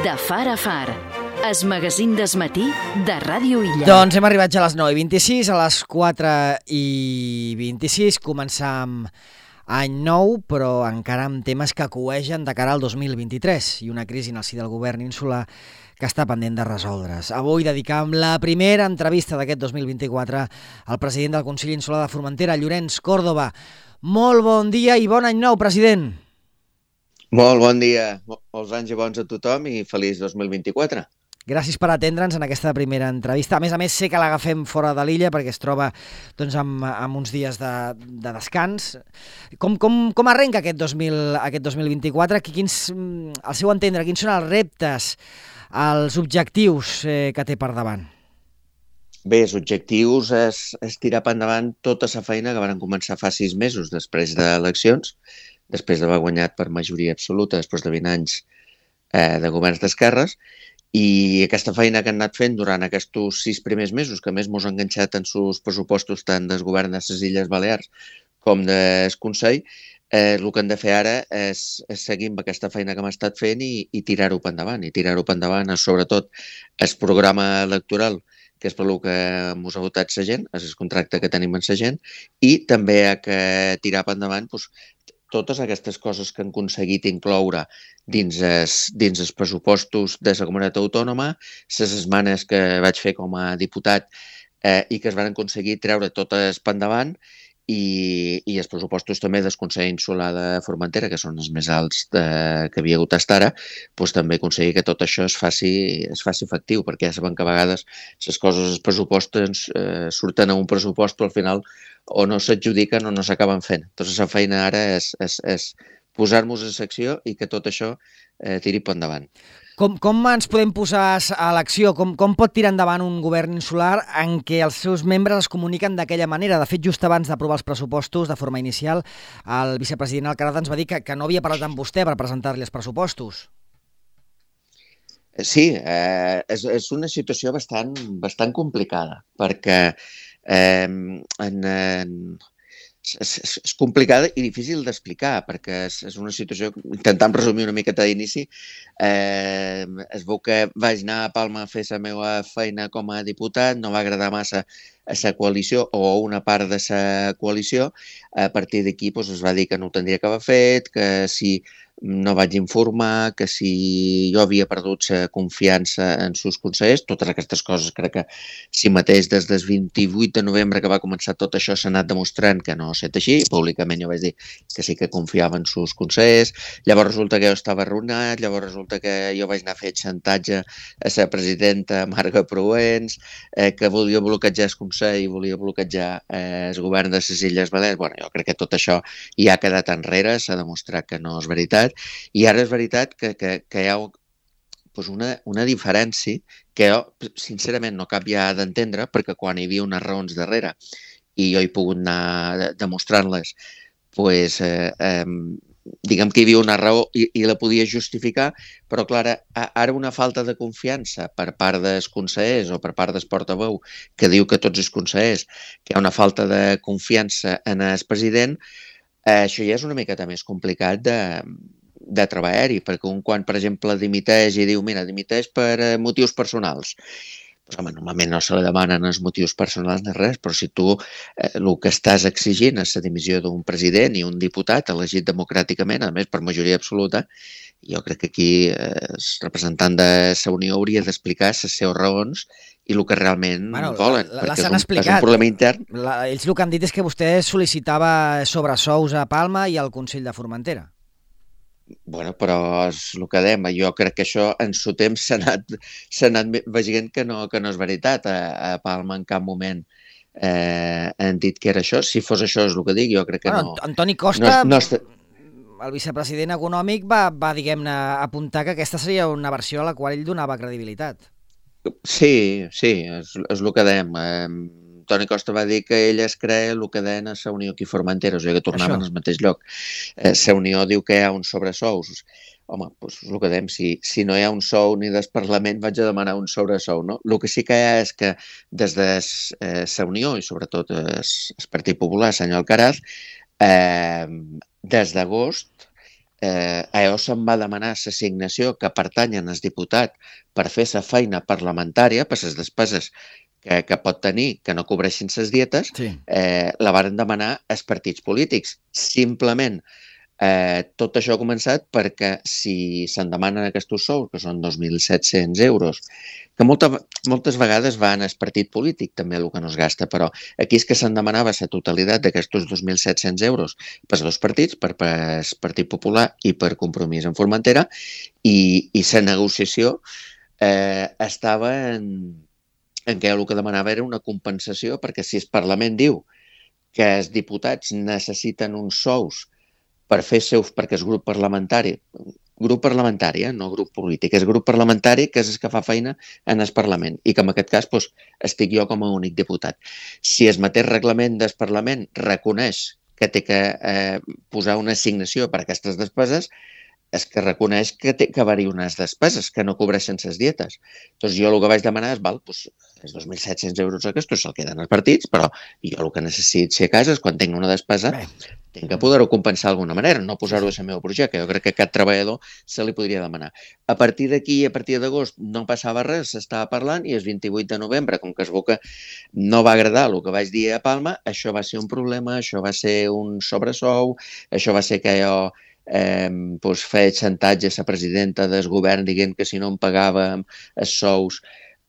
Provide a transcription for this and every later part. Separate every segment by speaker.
Speaker 1: De far a far, es magazín d'esmatí de Ràdio Illa.
Speaker 2: Doncs hem arribat ja a les 9:26, a les 4:26 començam any nou, però encara amb temes que coegen de cara al 2023 i una crisi en el si del govern insular que està pendent de resoldre's. Avui dedicam la primera entrevista d'aquest 2024 al president del Consell Insular de Formentera, Llorenç Còrdova. Molt bon dia i bon any nou, president.
Speaker 3: Molt bon dia, molts anys i bons a tothom i feliç 2024.
Speaker 2: Gràcies per atendre'ns en aquesta primera entrevista. A més, sé que l'agafem fora de l'illa perquè es troba doncs, amb uns dies de descans. Com arrenca aquest 2024? Al seu entendre, quins són els reptes, els objectius que té per davant?
Speaker 3: Bé, els objectius és tirar per endavant tota la feina que van començar fa 6 mesos després d'eleccions, després d'haver guanyat per majoria absoluta, després de 20 anys de governs d'esquerres, i aquesta feina que han anat fent durant aquests 6 primers mesos, que més mos han enganxat en sus pressupostos tant del govern de les Illes Balears com del Consell, el que hem de fer ara és seguir amb aquesta feina que hem estat fent i tirar-ho per endavant. I tirar-ho per endavant és sobretot el programa electoral, que és per el que ens ha votat la gent, és el contracte que tenim amb la gent, i també ha que tirar per endavant totes aquestes coses que han aconseguit incloure dins els pressupostos de la comunitat autònoma, les esmenes que vaig fer com a diputat i que es van aconseguir treure totes per endavant, i els pressupostos també del Consell Insular de Formentera, que són els més alts que havia hagut fins ara, doncs també aconseguir que tot això es faci efectiu, perquè ja sabem que a vegades les coses, els pressupostos surten a un pressupost, però al final o no s'adjudiquen o no s'acaben fent. Doncs la feina ara és posar-nos en secció i que tot això tiri per endavant.
Speaker 2: Com ens podem posar a l'acció? Com pot tirar endavant un govern insular en què els seus membres es comuniquen d'aquella manera? De fet, just abans d'aprovar els pressupostos de forma inicial, el vicepresident Alcaraz ens va dir que no havia parlat amb vostè per presentar-li els pressupostos.
Speaker 3: Sí, és una situació bastant complicada, perquè és complicada i difícil d'explicar, perquè és una situació, intentant resumir una miqueta d'inici, es veu que vaig anar a Palma a fer la meva feina com a diputat, no va agradar massa a la coalició o a una part de la coalició. A partir d'aquí es va dir que no ho tindria que haver fet, que si no vaig informar, que si jo havia perdut la confiança en sus consellers, totes aquestes coses. Crec que si mateix des del 28 de novembre que va començar tot això s'ha anat demostrant que no ha estat així. Públicament jo vaig dir que sí que confiava en sus consellers, llavors resulta que jo estava arruïnat, llavors resulta que jo vaig anar a fer xantatge a la presidenta Marga Proens, que volia bloquejar el Consell i volia bloquejar el govern de les Illes Balears. Bueno, jo crec que tot això ja ha quedat enrere, s'ha demostrat que no és veritat. I ara és veritat que hi ha una diferència que jo, sincerament, no acabo ja d'entendre, perquè quan hi havia unes raons darrere i jo he pogut anar demostrant-les, diguem que hi havia una raó i la podia justificar, però, clar, ara una falta de confiança per part dels consellers o per part del portaveu, que diu que tots els consellers, que hi ha una falta de confiança en el president, això ja és una miqueta més complicat de treballar-hi, perquè quan, per exemple, dimiteix i diu, mira, dimiteix per motius personals, doncs, home, normalment no se li demanen els motius personals ni res, però si tu el que estàs exigint és la dimissió d'un president i un diputat elegit democràticament, a més per majoria absoluta, jo crec que aquí el representant de la Unió hauria d'explicar les seves raons i el que realment volen, perquè és un problema intern.
Speaker 2: Ells el que han dit és que vostè sol·licitava sobresous a Palma i al Consell de Formentera.
Speaker 3: Bueno, però és el que dèiem. Jo crec que això en su temps s'ha anat veient que no és veritat. A Palma en cap moment han dit que era això. Si fos això és el que dic, jo crec que no.
Speaker 2: Antoni Costa, el vicepresident econòmic, va diguem-ne, apuntar que aquesta seria una versió a la qual ell donava credibilitat.
Speaker 3: Sí, és el que dèiem. Toni Costa va dir que ell es crea el que deien a la Unió aquí Formentera, o sigui que tornaven al mateix lloc. La Unió diu que hi ha uns sobresous. Home, doncs el que dèiem, si no hi ha un sou ni del Parlament vaig a demanar un sobresou, no? El que sí que hi ha és que des de la Unió i sobretot el Partit Popular, senyor Alcaraz, des d'agost allò se'n va demanar l'assignació que pertanyen al diputat per fer la feina parlamentària, per les despeses que pot tenir, que no cobreixin les dietes,
Speaker 2: Sí.
Speaker 3: La varen demanar als partits polítics. Simplement, tot això ha començat perquè si se'n demanen aquests sous, que són 2.700 euros, que moltes vegades van al partit polític, també el que no es gasta, però aquí és que se'n demanava la totalitat d'aquests 2.700 euros per dos partits, per el Partit Popular i per Compromís en Formentera, i la negociació estava en què el que demanava era una compensació, perquè si el Parlament diu que els diputats necessiten uns sous per fer perquè és grup parlamentari, no grup polític, és grup parlamentari que és el que fa feina en el Parlament i que en aquest cas estic jo com a únic diputat. Si el mateix reglament del Parlament reconeix que té que posar una assignació per a aquestes despeses, és que reconeix que té que haver-hi unes despeses que no cobreixen les dietes. Doncs jo el que vaig demanar és, els 2.700 euros aquests se'l queden els partits, però jo el que necessito si a casa és quan tinc una despesa, tinc que poder-ho compensar d'alguna manera, no posar-ho a la meva projecte. Jo crec que a cap treballador se li podria demanar. A partir d'aquí, a partir d'agost, no passava res, s'estava parlant, i el 28 de novembre, com que es veu que no va agradar el que vaig dir a Palma, això va ser un problema, això va ser un sobresou, això va ser que jo feia xantatge a la presidenta del govern dient que si no em pagàvem els sous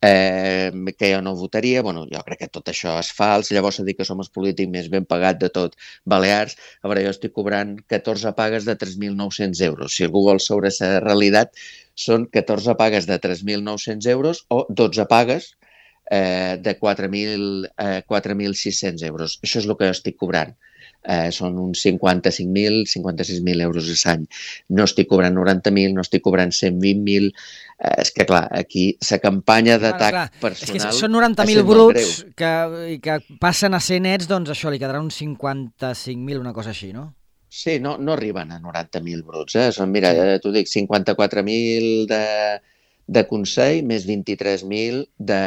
Speaker 3: que jo no votaria. Bueno, jo crec que tot això és fals. Llavors s'ha dit que som els polítics més ben pagat de tot Balears. A veure, jo estic cobrant 14 pagues de 3.900 euros. Si algú vol saber la realitat, són 14 pagues de 3.900 euros o 12 pagues de 4.600 euros. Això és el que jo estic cobrant. Són uns 55.000, 56.000 euros a l'any. No estic cobrant 90.000, no estic cobrant 120.000. És que, clar, aquí la campanya d'atac personal...
Speaker 2: És que són 90.000 bruts que passen a ser nets, doncs això, li quedarà uns 55.000, una cosa així, no?
Speaker 3: Sí, no arriben a 90.000 bruts. Són, mira, t'ho dic, 54.000 de Consell més 23.000 de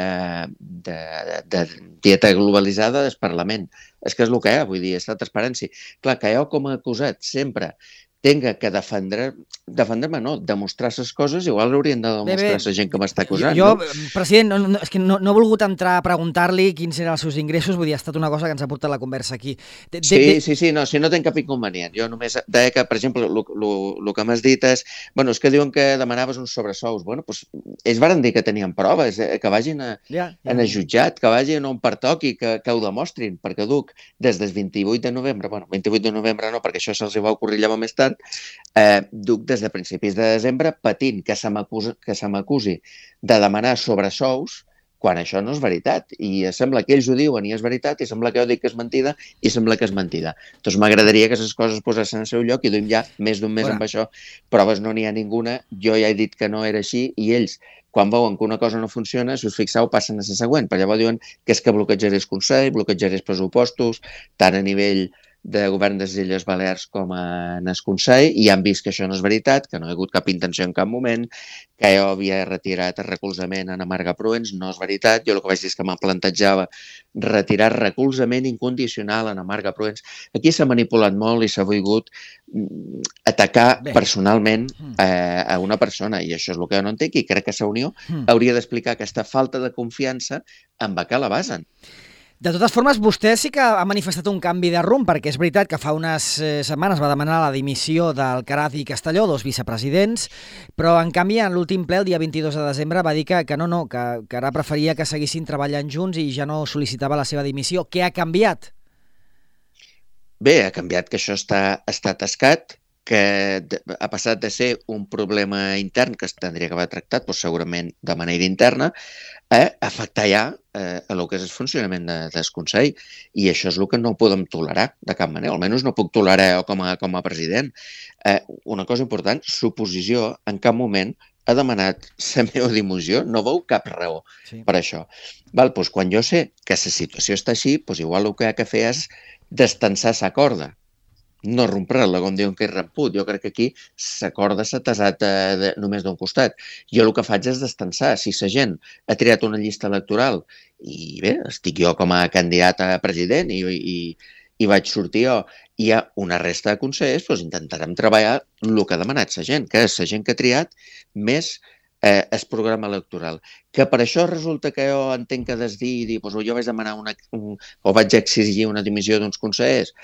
Speaker 3: dieta globalitzada del Parlament. És que és el que hi ha, vull dir, és la transparència. Clar, que jo com a acusat sempre tenga que defendre-me, no, demostrar les coses, igual haurien de demostrar a la gent que m'està acusant.
Speaker 2: Jo, president, és que no he volgut entrar a preguntar-li quins eren els seus ingressos, vull dir, ha estat una cosa que ens ha portat la conversa aquí.
Speaker 3: Sí, no, si no tenc cap inconvenient. Jo només deia que, per exemple, el que m'has dit és, bueno, és que diuen que demanaves uns sobresous. Bueno, doncs ells varen dir que tenien proves, que vagin en el jutjat, que vagin on pertoqui, que ho demostrin, perquè duc des del 28 de novembre, bueno, 28 de novembre no, perquè això se'ls va ocorrir llavors més tard, duc des de principis de desembre patint que se m'acusi de demanar sobresous quan això no és veritat. I sembla que ells ho diuen i és veritat, i sembla que jo dic que és mentida i sembla que és mentida. Doncs m'agradaria que les coses posessin al seu lloc i duim ja més d'un mes amb això. Proves no n'hi ha ninguna, jo ja he dit que no era així i ells, quan veuen que una cosa no funciona, si us fixeu, passen a la següent. Per llavors diuen que és que bloquejaré el Consell, bloquejaré els pressupostos, tant a nivell de govern de les Illes Balears com en el Consell, i han vist que això no és veritat, que no hi ha hagut cap intenció en cap moment, que jo havia retirat el recolzament a Marga Pruens. No és veritat. Jo el que vaig dir és que me'n plantejava retirar recolzament incondicional a Marga Pruens. Aquí s'ha manipulat molt i s'ha volgut atacar personalment a una persona, i això és el que jo no entenc, i crec que la Unió hauria d'explicar aquesta falta de confiança amb què la basen.
Speaker 2: De totes formes, vostè sí que ha manifestat un canvi de rumb, perquè és veritat que fa unes setmanes va demanar la dimissió d'Alcaraz i Castelló, dos vicepresidents, però en canvi en l'últim ple, el dia 22 de desembre, va dir que ara preferia que seguissin treballant junts i ja no sol·licitava la seva dimissió. Què ha canviat?
Speaker 3: Bé, ha canviat que això està tascat, que ha passat de ser un problema intern que es tindria que haver tractat, doncs segurament de manera interna, a afectar ja el que és el funcionament del Consell. I això és el que no podem tolerar de cap manera, almenys no puc tolerar com a president. Una cosa important, l'oposició en cap moment ha demanat la meva dimissió, no veu cap raó per això. Doncs quan jo sé que la situació està així, doncs igual el que ha de fer és destensar la corda, no rompre-la, com diuen que és ramput. Jo crec que aquí la corda s'ha tasat només d'un costat. Jo el que faig és destensar. Si la gent ha triat una llista electoral i bé, estic jo com a candidat a president i i vaig sortir jo. Hi ha una resta de consellers, doncs intentarem treballar el que ha demanat la gent, que és la gent que ha triat més el programa electoral. Que per això resulta que jo entenc que has de dir, doncs jo vaig demanar o vaig exigir una dimissió d'uns consellers.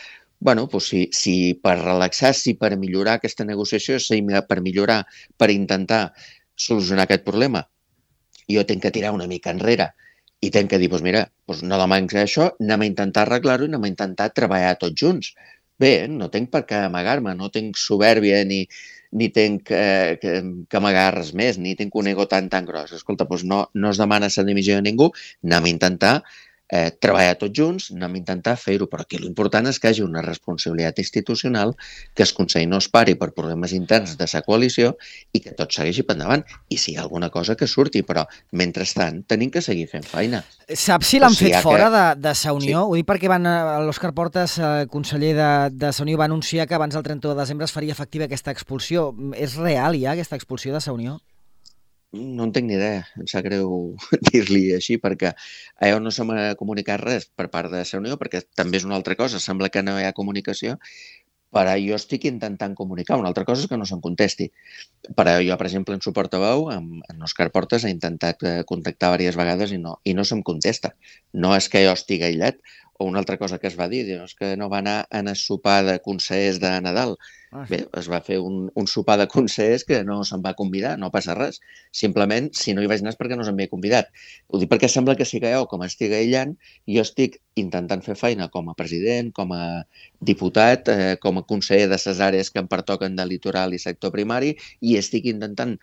Speaker 3: Bueno, doncs si per relaxar, si per millorar aquesta negociació, si per millorar, per intentar solucionar aquest problema, jo tinc que tirar una mica enrere i tinc que dir, doncs mira, no demanis això, anem a intentar arreglar-ho i anem a intentar treballar tots junts. Bé, no tinc per què amagar-me, no tinc soberbia ni tinc que amagar res més, ni tinc un ego tan gros. Escolta, doncs no es demana la dimissió de ningú, anem a intentar treballar tots junts, anem a intentar fer-ho, però aquí l'important és que hi hagi una responsabilitat institucional, que el Consell no es pari per problemes interns de la coalició i que tot segueixi per endavant. I si hi ha alguna cosa que surti, però mentrestant tenim que seguir fent feina.
Speaker 2: Saps si l'han fet fora de sa Unió? Sí. Ho dic perquè l'Òscar Portas, conseller de sa Unió, va anunciar que abans del 31 de desembre es faria efectiva aquesta expulsió. És real ja aquesta expulsió de sa Unió?
Speaker 3: No en tinc ni idea, em sap greu dir-li així, perquè allò no se m'ha comunicat res per part de la Unió, perquè també és una altra cosa, sembla que no hi ha comunicació, però jo estic intentant comunicar. Una altra cosa és que no se'm contesti. Però jo, per exemple, en suport a veu, en Òscar Portas ha intentat contactar diverses vegades i no se'm contesta. No és que jo estigui aïllat, o una altra cosa que es va dir, és que no va anar a el sopar de consellers de Nadal. Bé, es va fer un sopar de consellers que no se'm va convidar, no passa res. Simplement, si no hi vaig anar és perquè no se'm havia convidat. Ho dic perquè sembla que sí que jo, com estic aïllant, jo estic intentant fer feina com a president, com a diputat, com a conseller de les àrees que em pertoquen de litoral i sector primari, i estic intentant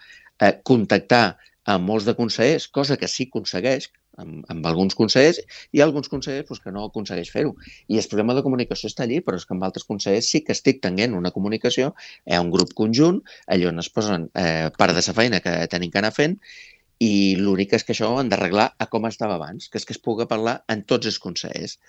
Speaker 3: contactar amb molts de consellers, cosa que sí aconsegueix, amb alguns consellers, i alguns consellers que no aconsegueix fer-ho. I el problema de comunicació està allí, però és que amb altres consellers sí que estic tenint una comunicació, hi ha un grup conjunt, allà on es posen part de la feina que tenim que anar fent, i l'únic és que això ho hem d'arreglar a com estava abans, que és que es pugui parlar en tots els consellers.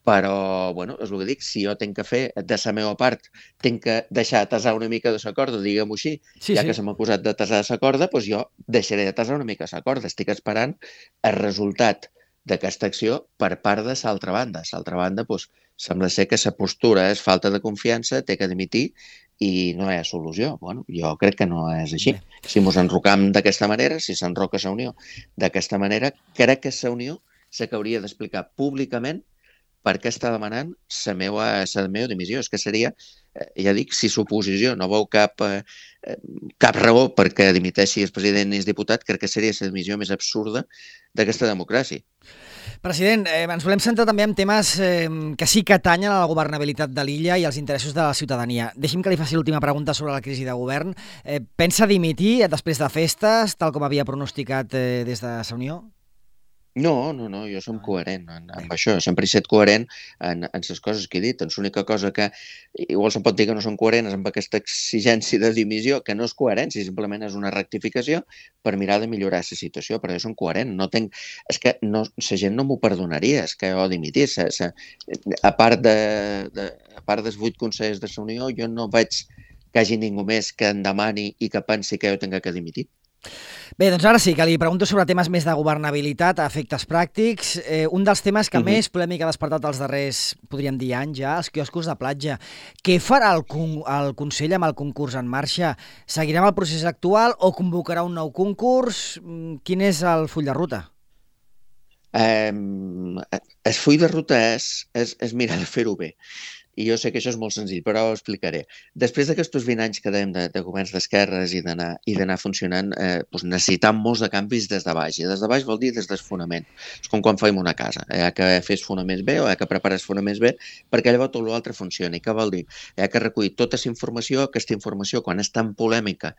Speaker 3: Però, bueno, és el que dic, si jo tinc que fer de la meva part, tinc que deixar tasar una mica de la corda, diguem-ho així, ja que se m'ha acusat de tasar la corda, doncs jo deixaré de tasar una mica la corda. Estic esperant el resultat d'aquesta acció per part de l'altra banda. L'altra banda, doncs, sembla ser que la postura és falta de confiança, té que dimitir i no hi ha solució. Bueno, jo crec que no és així. Si ens enrocam d'aquesta manera, si s'enroca la Unió d'aquesta manera, crec que la Unió sé que hauria d'explicar públicament per què està demanant la meva dimissió. És que seria, ja dic, si l'oposició no veu cap raó perquè dimiteixi el president i el diputat, crec que seria la dimissió més absurda d'aquesta democràcia.
Speaker 2: President, ens volem centrar també en temes que sí que atanyen a la governabilitat de l'illa i als interessos de la ciutadania. Deixi'm que li faci l'última pregunta sobre la crisi de govern. Pensa dimitir després de festes, tal com havia pronosticat des de la Unió?
Speaker 3: No, jo som coherent amb això. Sempre he estat coherent en les coses que he dit. L'única cosa que igual se'n pot dir que no són coherents amb aquesta exigència de dimissió, que no és coherència, simplement és una rectificació per mirar de millorar la situació, però jo som coherent. És que la gent no m'ho perdonaria, és que jo dimitís. A part dels 8 consellers de la Unió, jo no veig que hi hagi ningú més que em demani i que pensi que jo tinc que dimitir.
Speaker 2: Bé, doncs ara sí, que li pregunto sobre temes més de governabilitat, a efectes pràctics. Un dels temes que més polèmica ha despertat els darrers, podríem dir, anys ja, els quioscos de platja. Què farà el Consell amb el concurs en marxa? Seguirà amb el procés actual o convocarà un nou concurs? Quin és el full de ruta?
Speaker 3: El full de ruta és mirar de fer-ho bé. I jo sé que això és molt senzill, però ho explicaré. Després d'aquests 20 anys que dèiem de governs d'esquerres i d'anar funcionant, necessitam molts de canvis des de baix. I des de baix vol dir des del fonament. És com quan fem una casa. Hi ha que fer els fonaments bé o hi ha que preparar els fonaments bé perquè llavors tot l'altre funcioni. Què vol dir? Hi ha que recollir tota aquesta informació quan és tan polèmica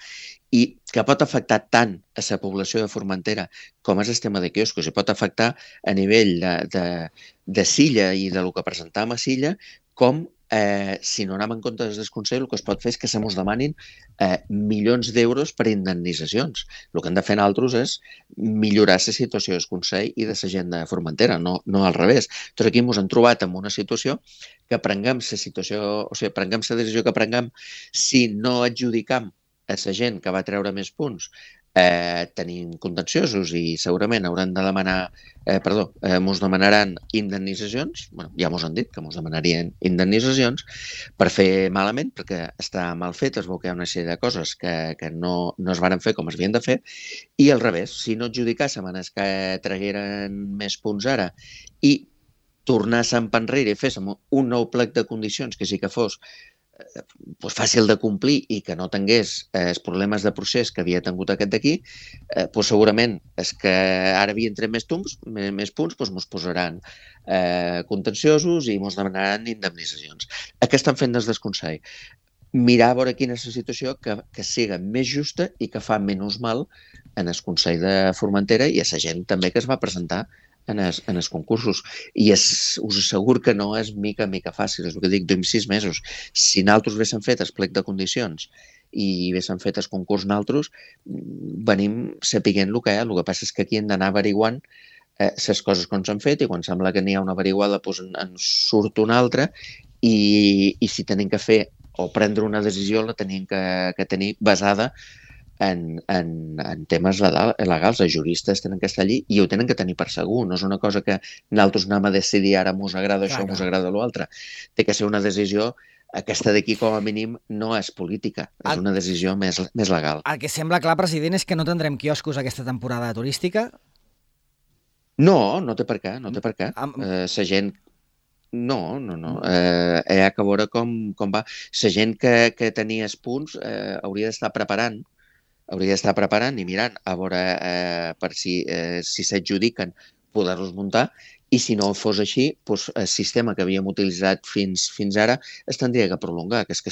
Speaker 3: i que pot afectar tant a la població de Formentera com és el tema de quioscos i pot afectar a nivell de Silla i del que presentàvem a Silla, com si no anem en compte des del Consell, el que es pot fer és que se mos demanin milions d'euros per indemnitzacions. El que hem de fer nosaltres és millorar la situació del Consell i de la gent de Formentera, no al revés. Doncs aquí ens hem trobat en una situació que prenguem la decisió que prenguem si no adjudicam a la gent que va treure més punts tenim contenciosos i segurament hauran de demanar, mos demanaran indemnitzacions, ja mos han dit que mos demanarien indemnitzacions per fer malament, perquè està mal fet, es veu que hi ha una sèrie de coses que no es varen fer com es havien de fer, i al revés, si no adjudicàssim els que tragueren més punts ara i tornàssim enrere i féssim un nou plec de condicions que sí que fos fàcil de complir i que no tingués els problemes de procés que havia tingut aquest d'aquí, segurament és que ara havien tret més punts, ens posaran contenciosos i ens demanaran indemnitzacions. Què estan fent des del Consell? Mirar a veure quina és la situació que siga més justa i que fa menys mal en el Consell de Formentera i a la gent també que es va presentar en els concursos. I us asseguro que no és mica fàcil, és el que dic, 6 mesos. Si nosaltres haguéssim fet el plec de condicions i haguéssim fet el concurs nosaltres, venim sapiguent el que hi ha. El que passa és que aquí hem d'anar averiguant les coses que ens han fet i quan sembla que n'hi ha una averiguada en surt una altra i si tenim que fer o prendre una decisió la tenim que tenir basada en temes legals. Els juristes tenen que estar allí i ho tenen que tenir per segur. No és una cosa que nosaltres anem a decidir ara mos agrada això, mos agrada l'altre. Té que ser una decisió, aquesta d'aquí com a mínim no és política, és una decisió més legal.
Speaker 2: El que sembla clar, president, és que no tindrem quioscos aquesta temporada turística?
Speaker 3: No té per què, la gent... No. Hi ha que veure com va. La gent que tenia els punts hauria d'estar preparant i mirant a veure per si s'adjudiquen poder-los muntar i si no fos així, el sistema que havíem utilitzat fins ara es tindria que prolongar, que és que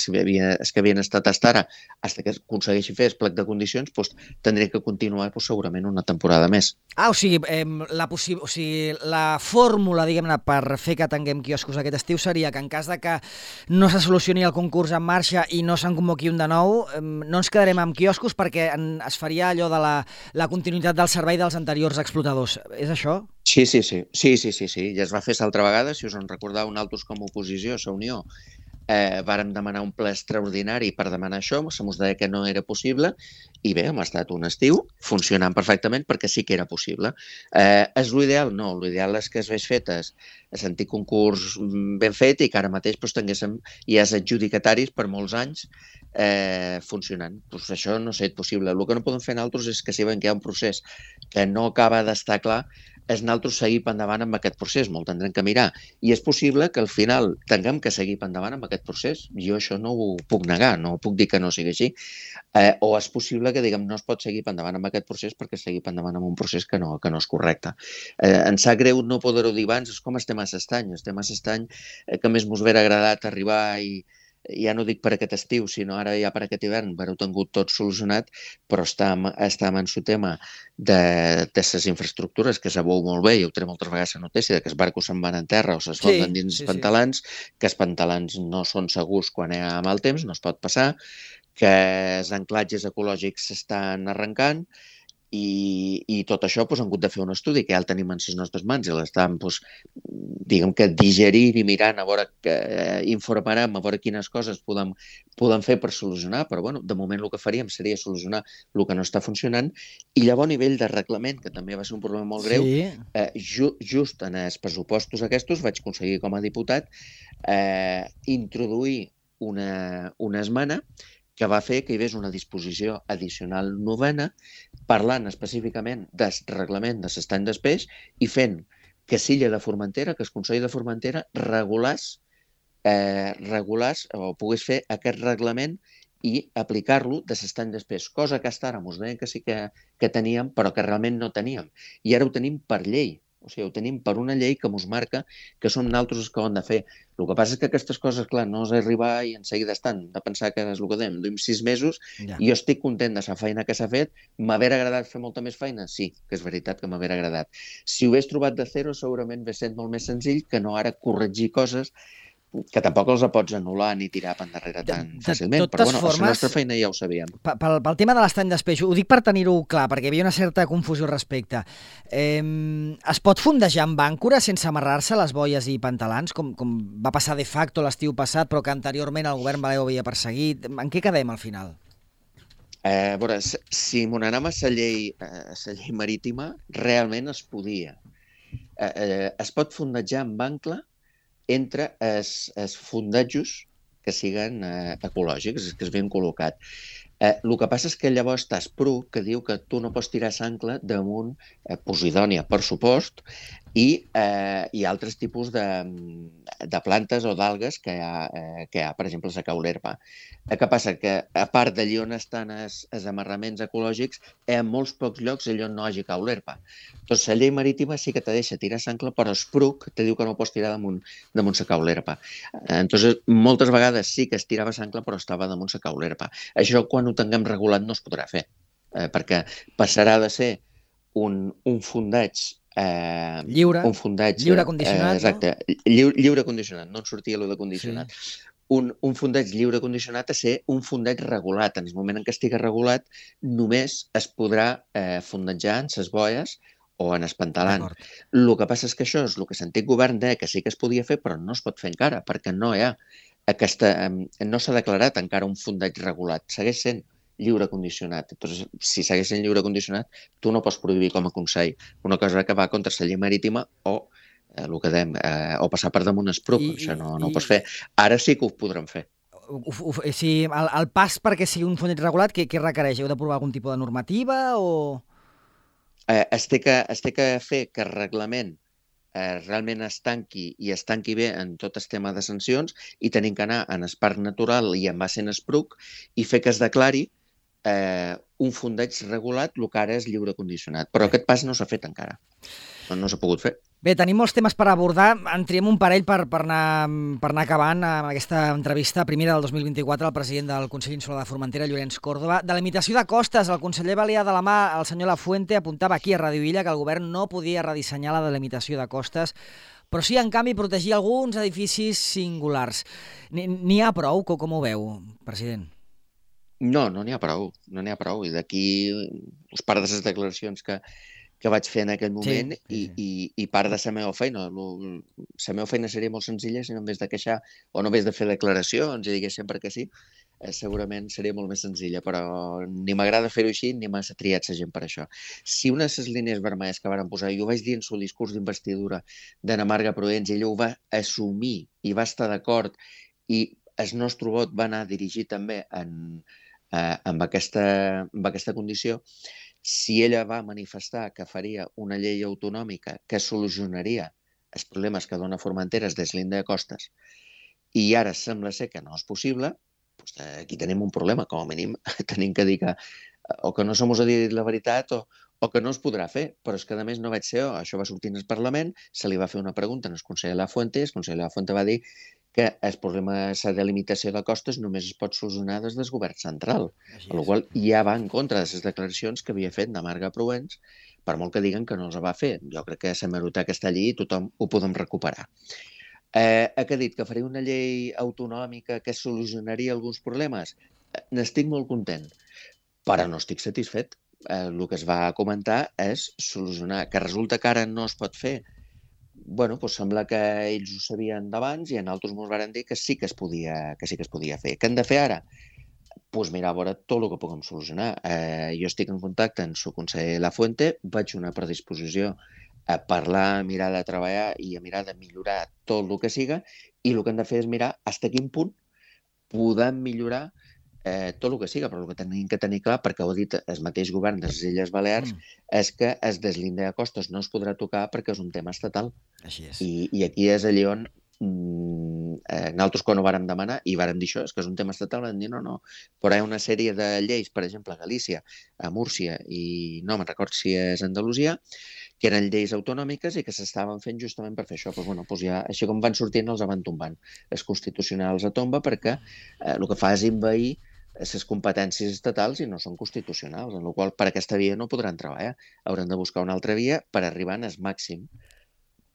Speaker 3: havien estat fins ara, fins que aconsegueixi fer el plec de condicions, tindria que continuar segurament una temporada més.
Speaker 2: O sigui, la fórmula, diguem-ne, per fer que tinguem quioscos aquest estiu seria que en cas de que no se solucioni el concurs en marxa i no se'n convoqui un de nou, no ens quedarem amb quioscos perquè es faria allò de la continuïtat del servei dels anteriors explotadors. És això?
Speaker 3: Sí. Ja es va fer l'altra vegada, si us en recordeu, nosaltres com a oposició, la Unió, vàrem demanar un ple extraordinari per demanar això, se mos deia que no era possible, i bé, hem estat un estiu funcionant perfectament perquè sí que era possible. És l'ideal? No, l'ideal és que es hagués fet el antic concurs ben fet i que ara mateix tinguéssim ja els adjudicataris per molts anys funcionant. Això no ha estat possible. El que no podem fer nosaltres és que si veiem que hi ha un procés que no acaba d'estar clar, és nosaltres seguir endavant amb aquest procés, molt tindrem que mirar. I és possible que al final tinguem que seguir endavant amb aquest procés. Jo això no ho puc negar, no puc dir que no sigui així. O és possible que diguem no es pot seguir endavant amb aquest procés perquè seguir endavant amb un procés que no és correcte. Em sap greu no poder-ho dir abans, és com estem a l'estany. Estem a l'estany que més mos hauria agradat arribar i ja no dic per aquest estiu, sinó ara ja per aquest hivern, haver-ho tingut tot solucionat, però estàvem en el tema de les infraestructures, que sabeu molt bé, i ho treu moltes vegades la notícia, que els barcos se'n van en terra o se'n fonden dins els pantalans, que els pantalans no són segurs quan hi ha mal temps, no es pot passar, que els anclatges ecològics s'estan arrencant, i tot això han hagut de fer un estudi que ja el tenim en les nostres mans i l'estem, diguem que digerint i mirant a veure informarem, a veure quines coses podem fer per solucionar, però de moment el que faríem seria solucionar el que no està funcionant i llavors a nivell de reglament, que també va ser un problema molt greu, just en els pressupostos aquests vaig aconseguir com a diputat introduir una esmena que va fer que hi hagués una disposició addicional 9ena parlant específicament del reglament de l'estany del peix i fent que l'illa de Formentera, que el Consell de Formentera regulés o pogués fer aquest reglament i aplicar-lo de l'estany del peix, cosa que fins ara ens deien que sí que teníem, però que realment no teníem. I ara ho tenim per llei. O sigui, ho tenim per una llei que ens marca que som nosaltres els que ho hem de fer. El que passa és que aquestes coses, clar, no és arribar i en seguida estan, de pensar que és el que dèiem, duim 6 mesos, i jo estic content de la feina que s'ha fet. M'haver agradat fer molta més feina? Sí, que és veritat que m'haver agradat. Si ho hagués trobat de zero, segurament hauria estat molt més senzill que no ara corregir coses que tampoc els pots anul·lar ni tirar per endarrere tan fàcilment. Però la nostra feina ja ho sabíem.
Speaker 2: Pel tema de l'estany d'espeix, ho dic per tenir-ho clar, perquè hi havia una certa confusió al respecte. Es pot fondejar amb àncora sense amarrar-se les boies i pantalans, com va passar de facto l'estiu passat, però que anteriorment el govern Valeo havia perseguit? En què quedem al final?
Speaker 3: A veure, si m'ho n'anem a la llei marítima, realment es podia. Es pot fondejar amb ancla entre els fondatjos que siguen ecològics, que es ben col·locat. El que passa és que llavors està Spru, que diu que tu no pots tirar s'ancla damunt Posidònia, per supost, i altres tipus de plantes o d'algues que hi ha, per exemple, la caulerpa. Què passa? Que a part d'allí on estan els amarraments ecològics, en molts pocs llocs allò no hi hagi caulerpa. Doncs la llei marítima sí que te deixa tirar s'ancla, però Spruc te diu que no pots tirar damunt la caulerpa. Entonces, moltes vegades sí que es tirava s'ancla, però estava damunt la caulerpa. Això, quan ho tinguem regulat, no es podrà fer, perquè passarà de ser un fondeig
Speaker 2: lliure condicionat,
Speaker 3: exacte, no? Lliure condicionat, no en sortia allò de condicionat. Sí. Un fondeig lliure condicionat a ser un fondeig regulat. En el moment en què estigui regulat, només es podrà fondejar en les boies o en el pantalant. El que passa és que això és el que l'antic govern deia que sí que es podia fer, però no es pot fer encara, perquè no hi ha no s'ha declarat encara un fondeig regulat. Segueix sent lliure condicionat. Entonces, si segueix sent lliure condicionat, tu no pots prohibir com a Consell una cosa que va contra la llei marítima o el que dèiem, o passar per damunt Spruc. Això no ho pots fer. Ara sí que ho podrem fer.
Speaker 2: Si el pas perquè sigui un fondeig regulat, què requereix? Heu d'aprovar algun tipus de normativa o...?
Speaker 3: Es té que fer que el reglament realment es tanqui bé en tot el tema de sancions i tenim que anar en el parc natural i en base en Spruc i fer que es declari un fondeig regulat, el que ara és lliure condicionat. Però aquest pas no s'ha fet encara. No s'ha pogut fer.
Speaker 2: Bé, tenim molts temes per abordar. En triem un parell per anar acabant amb aquesta entrevista, primera del 2024, al president del Consell Insular de Formentera, Llorenç Córdoba. De limitació de costes, el conseller Balear de la mà, el senyor Lafuente, apuntava aquí a Radio Illa que el govern no podia redissenyar la delimitació de costes, però sí, en canvi, protegir alguns edificis singulars. N'hi ha prou? Com ho veu, president?
Speaker 3: No n'hi ha prou. No n'hi ha prou. I d'aquí us part de les declaracions que vaig fer en aquell moment i part de la meva feina. La meva feina seria molt senzilla si no en vez de queixar o no en vez de fer declaracions i digués sempre que sí, segurament seria molt més senzilla, però ni m'agrada fer-ho així ni m'ha triat la gent per això. Si una de les línies vermelles que varen posar, jo ho vaig dir en el discurs d'investidura d'Anna Marga Proens, i ella ho va assumir i va estar d'acord, i el nostre vot va anar dirigit també amb aquesta condició. Si ella va manifestar que faria una llei autonòmica que solucionaria els problemes que dona Formentera es deslinde de costes i ara sembla ser que no és possible, doncs aquí tenim un problema, com a mínim tenim que dir que o que no som a dir la veritat o que no es podrà fer, però és que a més no vaig ser jo, això va sortir en el Parlament, se li va fer una pregunta al conseller Lafuente i el conseller Lafuente va dir que el problema de delimitació de costes només es pot solucionar des del govern central, amb la qual ja va en contra de les declaracions que havia fet de Marga Proens, per molt que diguen que no els va fer. Jo crec que l'hemeroteca està allí i tothom ho podem recuperar. Que ha dit que faria una llei autonòmica que solucionaria alguns problemes? N'estic molt content, però no estic satisfet. El que es va comentar és solucionar. Que resulta que ara no es pot fer? Bueno, doncs sembla que ells ho sabien d'abans i en altres ens van dir que sí que es podia fer. Què hem de fer ara? Doncs mirar a veure tot el que puguem solucionar. Jo estic en contacte amb el conseller Lafuente, vaig una predisposició a parlar, a mirar de treballar i a mirar de millorar tot el que siga, i el que hem de fer és mirar fins a quin punt podem millorar tot el que siga, però el que tenim que tenir clar, perquè ho ha dit el mateix govern de les Illes Balears, és que el deslinde de costes no es podrà tocar perquè és un tema estatal.
Speaker 2: Així és.
Speaker 3: I aquí és allà on nosaltres quan ho vàrem demanar i vàrem dir això, és que és un tema estatal, vam dir no, però hi ha una sèrie de lleis, per exemple a Galícia, a Múrcia i no me'n record si és Andalusia, que eren lleis autonòmiques i que s'estaven fent justament per fer això. Doncs ja, així com van sortint, els van tombant. Els constitucionals a tomba perquè el que fa és envair les competències estatals i no són constitucionals, en la qual per aquesta via no podran treballar. Hauran de buscar una altra via per arribar al màxim.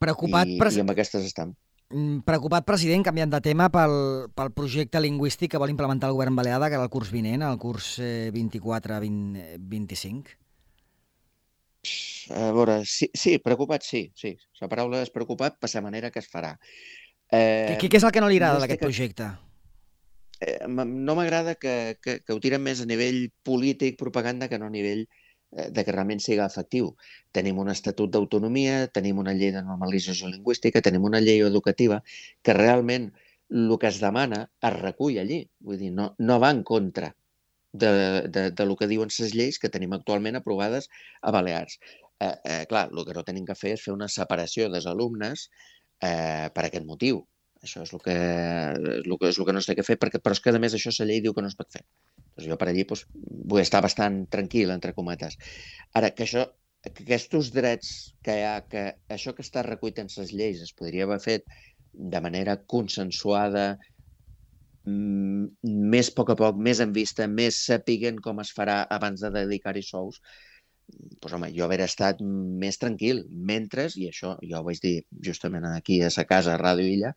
Speaker 3: I amb aquestes estem.
Speaker 2: Preocupat, president, canviant de tema, pel projecte lingüístic que vol implementar el govern balear de cara al curs vinent, el curs 24-25?
Speaker 3: A veure, sí, preocupat, sí. La paraula és preocupat per la manera que es farà.
Speaker 2: Què és el que no li agrada d'aquest projecte?
Speaker 3: no m'agrada que ho tiren més a nivell polític, propaganda, que no a nivell de que realment sigui efectiu. Tenim un estatut d'autonomia, tenim una llei de normalització lingüística, tenim una llei educativa que realment el que es demana es recull allí. Vull dir, no va en contra de lo que diuen les lleis que tenim actualment aprovades a Balears. Clar, el que no tenim que fer és fer una separació dels alumnes per aquest motiu. Això és el que no sé què fer, però és que a més això la llei diu que no es pot fer. Doncs jo per allí vull estar bastant tranquil, entre cometes. Ara, que aquests drets que hi ha, que això que està recollit en les lleis es podria haver fet de manera consensuada, més a poc, més en vista, més sapiguent com es farà abans de dedicar-hi sous, doncs, home, jo haver estat més tranquil, mentre, i això jo ho vaig dir justament aquí a sa casa, a Ràdio Illa,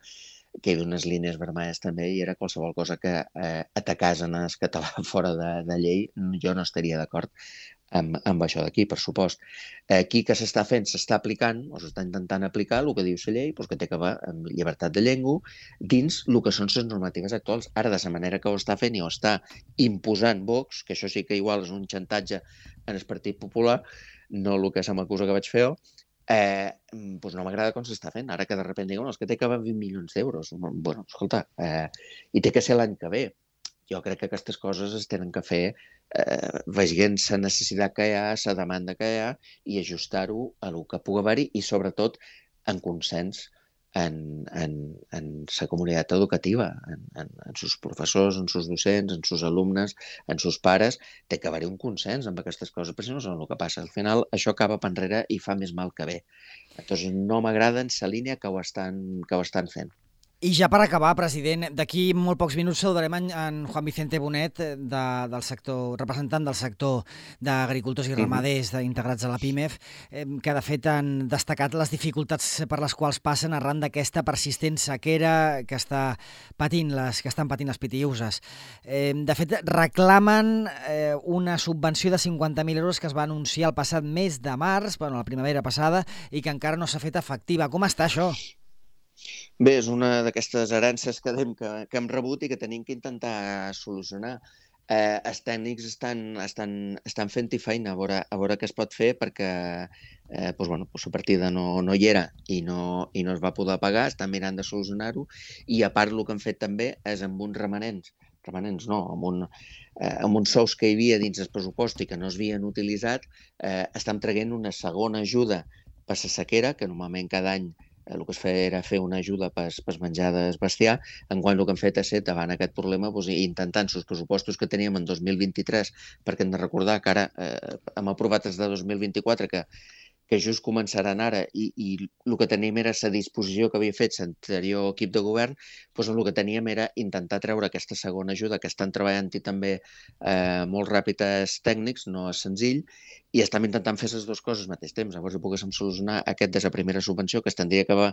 Speaker 3: que hi havia unes línies vermelles també i era qualsevol cosa que atacàs en el català fora de llei, jo no estaria d'acord amb això d'aquí, per supost. Aquí que s'està fent, s'està aplicant, o s'està intentant aplicar el que diu la llei, que té que veure amb llibertat de llengua dins el que són les normatives actuals. Ara, de la manera que ho està fent i ho està imposant Vox, que això sí que igual és un xantatge en el Partit Popular, no el que se m'acusa que vaig fer jo, doncs no m'agrada com s'està fent. Ara que de sobte diuen que té que haver 20 milions d'euros. Bueno, escolta, i té que ser l'any que ve. Jo crec que aquestes coses es tenen que fer veient la necessitat que hi ha, la demanda que hi ha i ajustar-ho a el que pugui haver-hi i sobretot en consens en la comunitat educativa, en sus professors, en sus docents, en sus alumnes, en sus pares. Té que haver-hi un consens amb aquestes coses, perquè si no saben el que passa. Al final això acaba per enrere i fa més mal que bé. Llavors no m'agrada en la línia que ho estan fent.
Speaker 2: I ja per acabar, president, d'aquí molt pocs minuts saludarem en Juan Vicente Bonet, del sector, representant del sector d'agricultors i ramaders integrats a la PIMEF, que de fet han destacat les dificultats per les quals passen arran d'aquesta persistent sequera que estan patint les pitiüses. De fet, reclamen una subvenció de 50.000 euros que es va anunciar el passat mes de març, la primavera passada, i que encara no s'ha fet efectiva. Com està això?
Speaker 3: Bé, és una d'aquestes herències que hem rebut i que tenim que intentar solucionar. Els tècnics estan fent-hi feina a veure què es pot fer perquè la partida no hi era i no es va poder pagar, estan mirant de solucionar-ho i a part el que han fet també és amb uns remanents no, amb uns sous que hi havia dins el pressupost i que no es havien utilitzat, estan traient una segona ajuda per la sequera, que normalment cada any el que es feia era fer una ajuda per menjar del bestiar, enquanto el que han fet és ser, davant aquest problema, intentant els pressupostos que teníem en 2023, perquè hem de recordar que ara hem aprovat els de 2024, que just començaran ara, i el que teníem era la disposició que havia fet l'anterior equip de govern, doncs el que teníem era intentar treure aquesta segona ajuda, que estan treballant-hi també molt ràpid els tècnics, no és senzill, i estem intentant fer les dues coses al mateix temps. Llavors poguéssim solucionar aquest de la primera subvenció que es tindria que haver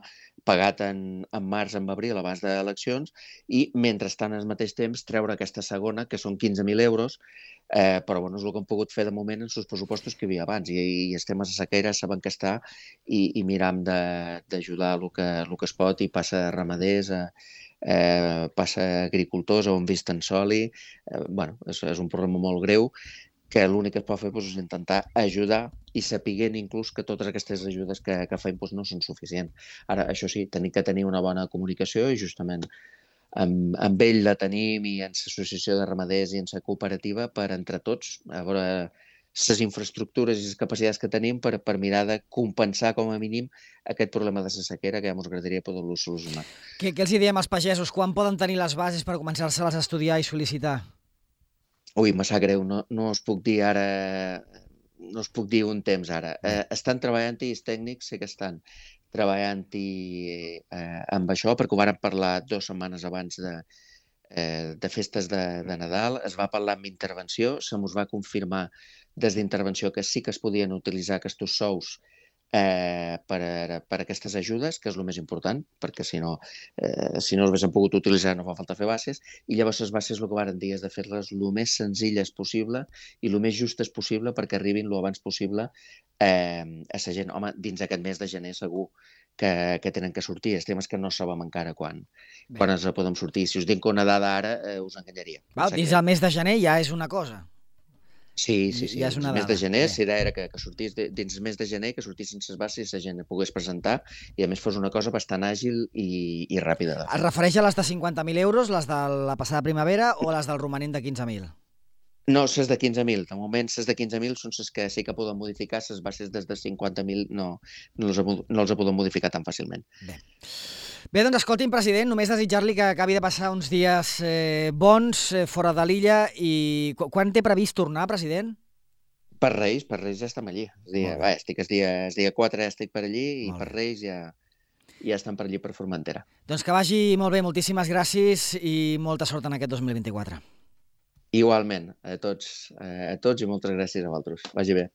Speaker 3: pagat en març, en abril, abans d'eleccions, i mentrestant al mateix temps treure aquesta segona, que són 15.000 euros, però és el que hem pogut fer de moment en els pressupostos que hi havia abans, i estem a la sequera, sabem que està, i miram d'ajudar el que es pot, i passa a ramaders, passa a agricultors, on vist en soli. És un problema molt greu, que l'únic que es pot fer és intentar ajudar i sapiguent inclús que totes aquestes ajudes que fem no són suficients. Ara, això sí, tenim que tenir una bona comunicació i justament amb ell la tenim i en l'associació de ramaders i en la cooperativa per entre tots a veure les infraestructures i les capacitats que tenim per mirar de compensar com a mínim aquest problema de la sequera que ja ens agradaria poder-lo solucionar.
Speaker 2: Què els diem als pagesos? Quan poden tenir les bases per començar-se-les a estudiar i sol·licitar?
Speaker 3: Ui, me sap greu, no us puc dir ara, no us puc dir un temps ara. Estan treballant-hi, els tècnics sí que estan treballant-hi amb això, perquè ho vàrem parlar 2 setmanes abans de festes de Nadal. Es va parlar amb intervenció, se mos va confirmar des d'intervenció que sí que es podien utilitzar aquests sous per aquestes ajudes, que és el més important, perquè si no els haguéssim pogut utilitzar no fa falta fer bases, i llavors les bases el que varen dir és de fer-les el més senzilles possible i el més justes possible perquè arribin el abans possible a la gent. Home, dins aquest mes de gener segur que tenen que sortir. El tema és que no sabem encara quan ens podem sortir. Si us dic una dada ara, us enganyaria.
Speaker 2: Dins el mes de gener ja és una cosa.
Speaker 3: Sí.
Speaker 2: Ja és una
Speaker 3: El mes
Speaker 2: dada.
Speaker 3: de gener, si era que sortís dins el mes de gener, que sortissin les bases i la gent pogués presentar i a més fos una cosa bastant àgil i ràpida de fer.
Speaker 2: Es refereix a les de 50.000 euros, les de la passada primavera o les del romanent de 15.000?
Speaker 3: No, les de 15.000. De moment, les de 15.000 són les que sí que poden modificar, les bases des de 50.000 no els poden modificar tan fàcilment.
Speaker 2: Bé, doncs escolti'm, president, només desitjar-li que acabi de passar uns dies bons fora de l'illa i quan té previst tornar, president?
Speaker 3: Per Reis ja estem allí. Estic el dia 4, estic per allí i per Reis ja estem per allí per Formentera.
Speaker 2: Doncs que vagi molt bé, moltíssimes gràcies i molta sort en aquest 2024.
Speaker 3: Igualment, a tots i moltes gràcies a vosaltres. Vagi bé.